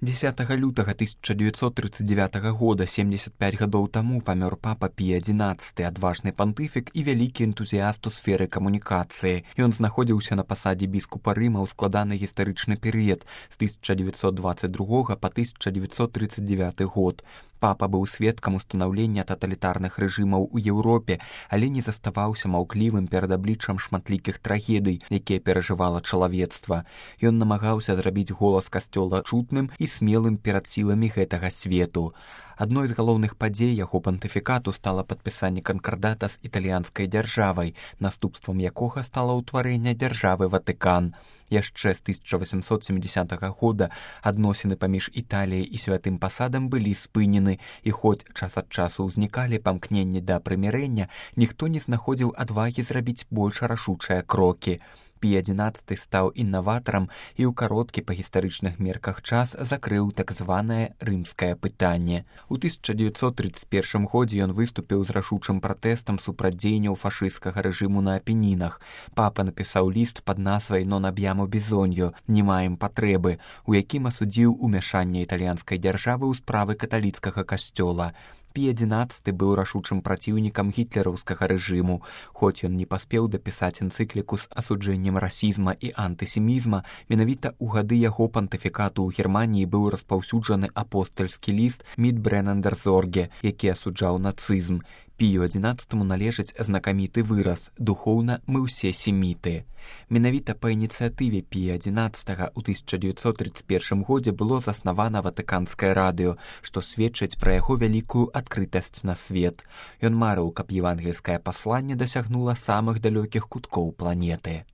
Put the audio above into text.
10 лютага 1939 года, 75 гадоў таму, памёр папа Пій XI, адважны пантыфік і вялікі энтузіяст у сферы камунікацыі. Ён знаходзіўся на пасадзе біскупа Рыма ў складаны гістарычны перыяд з 1922 па 1939 год. Папа быў сведкам устанаўлення таталітарных рэжымаў у Еўропе, але не заставаўся маўклівым перад абліччам шматлікіх трагедый, якія перажывала чалавецтва. Ён намагаўся зрабіць голас касцёла чутным і смелым перад сіламі гэтага свету. Адной з галоўных падзей яго пантыфікату стала падпісанне канкардата з італьянскай дзяржавай, наступствам якога стала ўтварэнне дзяржавы Ватыкан. Яшчэ з 1870 года адносіны паміж Італіяй і святым пасадам былі спынены, і хоць час ад часу ўзнікалі памкненні да прымірэння, ніхто не знаходзіў адвагі зрабіць больш рашучыя крокі. Пій XI стаў інаватарам і ў кароткі па гістарычных мерках час закрыў так званае рымскае пытанне. У 1931 годзе ён выступіў з рашучым пратэстам супраць дзеянняў фашысцкага рэжыму на Апенінах. Папа напісаў ліст пад назвай «Non abbiamo bisogno» «Не маем патрэбы», у якім асудзіў умяшанне італьянскай дзяржавы ў справы каталіцкага касцёла. Пій XI быў рашучым праціўнікам гітлераўскага рэжыму. Хоць ён не паспеў дапісаць энцыкліку з асуджэннем расізма і антысемізма, менавіта ў гады яго пантыфікату ў Германіі быў распаўсюджаны апостальскі ліст «Mit brennender Sorge», які асуджаў нацызм. Пію XI належыць знакаміты выраз «Духоўна мы ўсе семіты». Менавіта па ініцыятыве Пія XI ў 1931 годзе было заснавана Ватыканскае радыё, што сведчыць пра яго вялікую адкрытасць на свет. Ён марыў, каб евангельскае пасланне дасягнула самых далёкіх куткоў планеты.